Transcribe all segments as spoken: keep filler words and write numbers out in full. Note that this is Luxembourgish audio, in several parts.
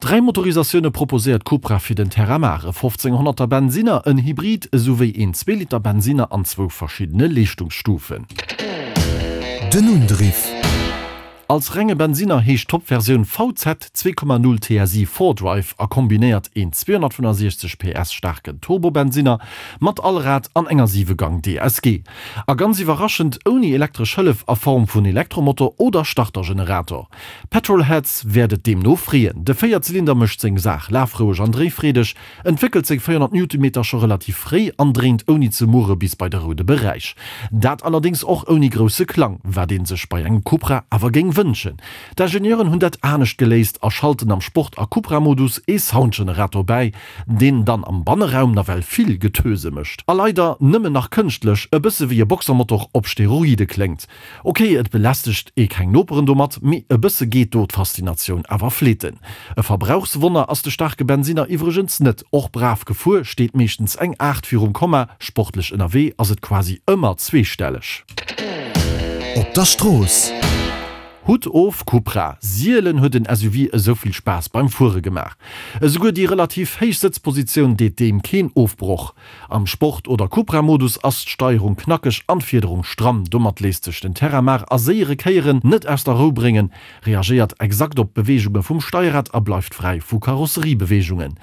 Dräi Motorisatioune proposéiert Cupra fir den Terramar, e fofzénghonnerter Bensinner, en Hybrid esouwéi een zwee Liter Bensinner an zwou verschiddene Leeschtungsstufen. Den Undriff. Als renge Bensinner heescht d'Top-Versioun V Z zwee Komma null T S I Four-Drive a kombinéiert een zweehonnertfënnefensiechzeg P S staarken Turbobensinner mat Allrad an enger siwe-Gang D S G. A ganz iwwerraschend ouni elektresch Hëllef a Form vun Elektromotor oder Startergenerator. Petrolheads wäert et deemno freeën. De Véierzylinder mécht seng Saach lafroueg an dréifreedeg, entwéckelt seng véierhonnert Newtonmeter scho relativ fréi an dréint ouni ze murre bis bei de roude Beräich. Dat allerdéngs och ouni grousse Klang, wat ee sech bei engem Cupra awer géing wënschen. D'Ingenieuren hunn dat anescht geléist a schalten am Sport a Cupra-Modus ee Soundgenerator bäi, deen dann am Banneraum nawell vill Getöse mécht. A leider nëmmen nach kënschtlech, e bësse wéi e Boxermotor op Steroide kléngt. Ok, et belästegt ee keng Noperen domat, mee e bësse geet do d'Faszinatioun awer fleeten. E Verbrauchswonner ass de staarke Bensinner iwwregens net. Och brav gefuer steet meeschtens eng aacht virum Komma, sportlech ënnerwee ass et quasi ëmmer zweestelleg. Op der Strooss. Hutt of, Cupra! Sielen huet en S U V esou vill Spaass beim Fuere gemaach. Esouguer déi relativ héich Sëtzpositioun deet deem keen Ofbroch. Am Sport oder Cupra-Modus ass d'Steierung knackeg an d'Fiederung stramm. Domat léisst sech den Terramar a séiere Kéieren net aus der Rou bréngen, reagéiert exakt op d'Beweegunge vum Steierrad a bleift fräi vu Karosseriebeweegungen.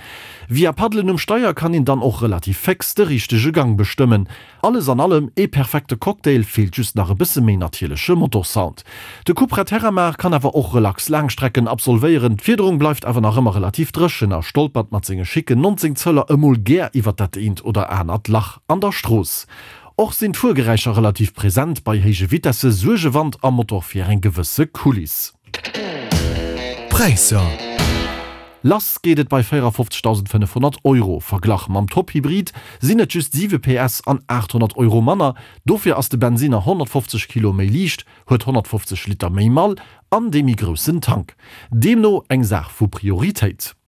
Via Paddelen um Steier kann een dann och relativ féx de richtege Gang bestëmmen. Alles an allem ee perfekte Cocktail, feelt just nach e bësse méi natierleche Motorsound. De Cupra Terramar kann awer och relax Laangstrecken absolvéieren, d'Fiederung bleift awer nach ëmmer relativ dréchen a stolpert mat senge schicken nonzéng Zöller emol gär iwwer dat eent oder anert Lach an der Strooss. Och sinn d'Fuergeräischer relativ present, bei héije Vitesse suerge Wand a Motor fir eng gewësse Kuliss. Präisser. Lass geet et bei véierafofzegdausendfënnefhonnert Euro. Verglach mam Top-Hybrid sinn et just siwe P S an aathonnert Euro manner. Dofir ass de Bensinner honnertfofzeg Kilo méi liicht, huet honnertfofzeg Liter méi Mall an dee méi groussen Tank. Deemno eng Saach vu Prioritéit.